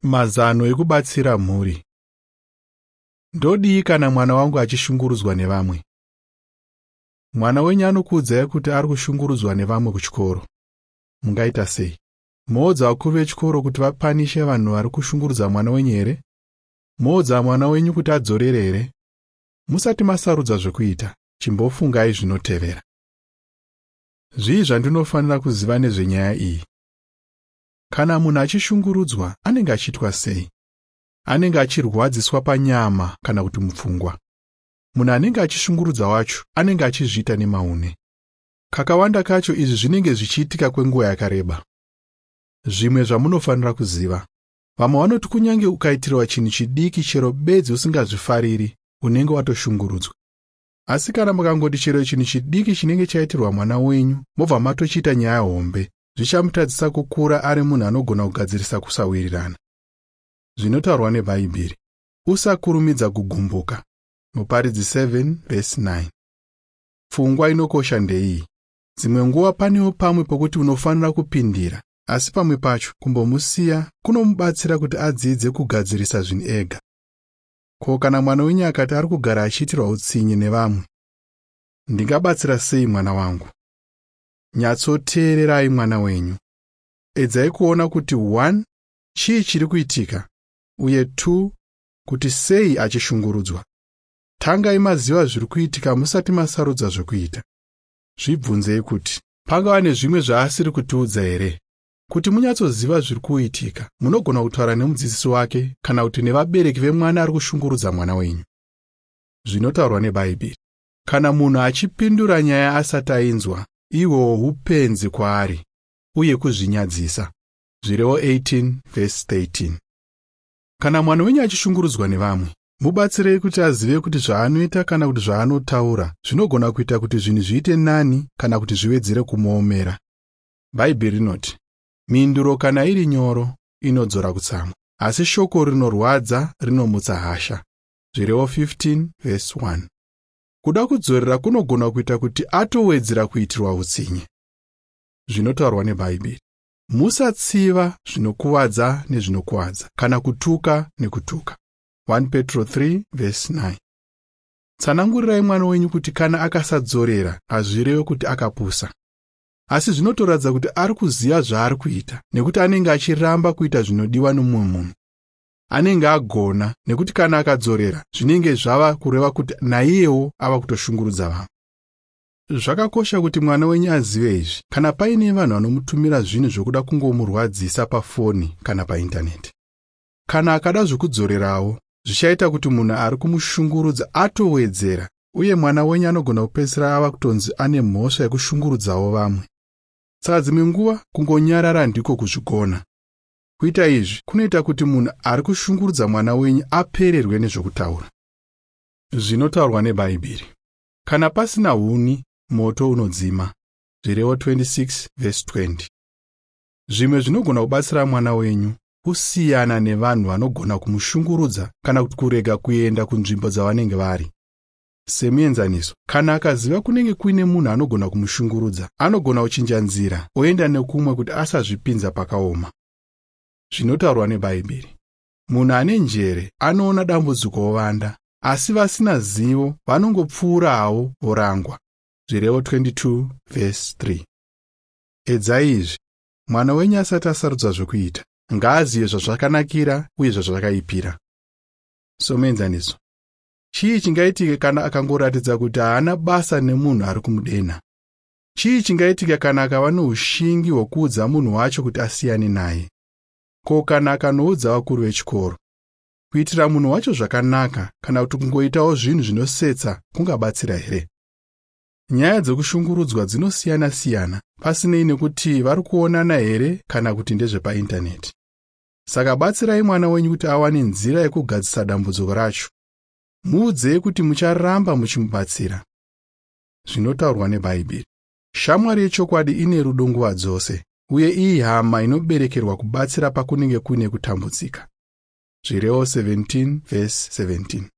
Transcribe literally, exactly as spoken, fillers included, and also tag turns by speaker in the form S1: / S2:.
S1: Mazano ekubatsira mhuri. Ndodii kana mwana wangu achishungurudzwa nevamwe? Mwana wenyu anokuudzai kuti ari kushungurudzwa nevamwe kuchikoro. Mungaita sei? Moudza vakuru vechikoro kuti vapanishe vanhu vari kushungurudza mwana wenyu here? Moudza mwana wenyu kuti adzorere here? Musati masarudza zvekuita, chimbofungai zvinotevera. Zvii zvandinofanira kuziva nezvenyaya iyi? Kana munhu achishungurudzwa, anenge achiitwa sei? Anenge achirwadziswa panyama kana kuti mupfungwa. Munhu anenge achishungurudza wacho anenge achizviita nemaune. Kakawanda kacho izvi zvinenge zvichiitika kwenguva yakareba. Zvimwe zvamunofanira kuziva. Vamwe vanoti kunyange ukaitirwa chinhu chidiki chero bedzi usingazvifariri, unenge watoshungurudzwa. Asi kana mukangoti chero chinhu chidiki chinenge chaitirwa mwana wenyu, mobva matochiita nyaya hombe, zvichamutadzisa kukura ari munhu anogona kugadzirisa kusawirirana. Zvinotaurwa neBhaibheri. Usakurumidza kugumbuka. Muparidzi seven verse nine. Pfungwa inokosha ndeiyi. Dzimwe nguva panewo pamwe pokuti unofanira kupindira, asi pamwe pacho kumbomusiya kunomubatsira kuti adzidze kugadzirisa zvinhu ega. Ko kana mwana wenyu akati ari kugara achiitirwa utsinye nevamwe? Ndingabatsira sei mwana wangu? Nyatsoteererai mwana wenyu. Edzai kuona kuti one chii chiri kuitika uye two kuti sei achishungurudzwa. Tangai maziva zviri kuitika musati masarudza zvekuita. Zvibvunzei kuti pangava nezvimwe zvaasiri kutiudza here? Kuti munyatsoziva zviri kuitika, munogona kutaura nemudzidzisi wake kana kuti nevabereki vemwana ari kushungurudza mwana wenyu. Zvinotaurwa neBhaibheri. Kana munhu achipindura nyaya asati ainzwa, ihwo upenzi kwaari uye kuzvinyadzisa. Zvirevo eighteen verse thirteen. Kana mwana wenyu achishungurudzwa nevamwe, mubatsirei kuti azive kuti zvaanoita kana kuti zvaanotaura zvinogona kuita kuti zvinhu zviite nani kana kuti zviwedzere kumuomera. Bhaibheri rinoti, mhinduro kana iri nyoro inodzora kutsamwa, asi shoko rinorwadza rinomutsa hasha. Zvirevo fifteen verse one. Kuda kudzorera kunogona kuita kuti atowedzera kuitirwa utsinye. Zvinotaurwa neBhaibheri. Musatsiva zvinokuvadza nezvinokuvadza kana kutuka nekutuka. one Petro three verse nine. Tsanangurirai mwana wenyu kuti kana akasadzorera hazvirevi kuti akapusa. Asi zvinotoratidza kuti ari kuziva zvaari kuita nekuti anenge achiramba kuita zvinodiwa nomumwe munhu. Anenge agona nekuti kana akadzorera zvinenge zvava kureva kuti naiyewo ava kutoshungurudza vamwe. Zvakakosha kuti mwana wenyu azive izvi kana paine vanhu vanomutumira zvinhu zvokuda kungomurwadzisa pafoni kana paintaneti. Kana akada zvokudzorerawo, zvichaita kuti munhu ari kumushungurudza atowedzera uye mwana wenyu anogona kupedzisira ava kutonzi ane mhosva yekushungurudzawo vamwe. Saka dzimwe nguva kungonyarara ndiko kuzvigona. Kuita izvi kunoita kuti munhu ari kushungurudza mwana wenyu apererwe nezvokutaura. Zvinotaurwa neBhaibheri. Kana pasina huni, moto unodzima. Zvirevo twenty-six verse twenty. Zvimwe zvinogona kubatsira mwana wenyu kusiyana nevanhu vanogona kumushungurudza kana kuti kurega kuenda kunzvimbo dzavanenge vari. Semuenzaniso, kana akaziva kunenge kuine munhu anogona kumushungurudza, anogona kuchinja nzira oenda nekumwe kuti asazvipinza pakaoma. Zvinotaurwa neBhaibheri. Munhu ane njere anoona dambudziko ovanda, asi vasina zivo vanongopfuura havo vorangwa. Zvirevo twenty-two verse three. Edzai izvi. Mwana wenyu asati asarudza zvekuita, ngaazive zvazvakanakira uye zvazvakaipira. Somuenzaniso, chii chingaitika kana akangoratidza kuti haana basa nemunhu ari kumudena? Chii chingaitika kana akava noushingi hwokuudza munhu wacho kuti asiyane naye? Ko kana akanoudza vakuru vechikoro? Kuitira munhu wacho zvakanaka kana kuti kungoitawo zvinhu zvinosetsa kungabatsira here? Nyaya dzekushungurudzwa dzinosiyana-siyana pasinei nekuti vari kuonana here kana kuti ndezvepaintaneti. Saka batsirai mwana wenyu kuti awane nzira yekugadzirisa dambudziko racho. Muudzei kuti mucharamba muchimubatsira. Zvinotaurwa neBhaibheri. Shamwari yechokwadi ine rudo nguva dzose, uye iyi hama inoberekerwa kubatsira pakunenge kuine kutambudzika. Zvirevo seventeen verse seventeen.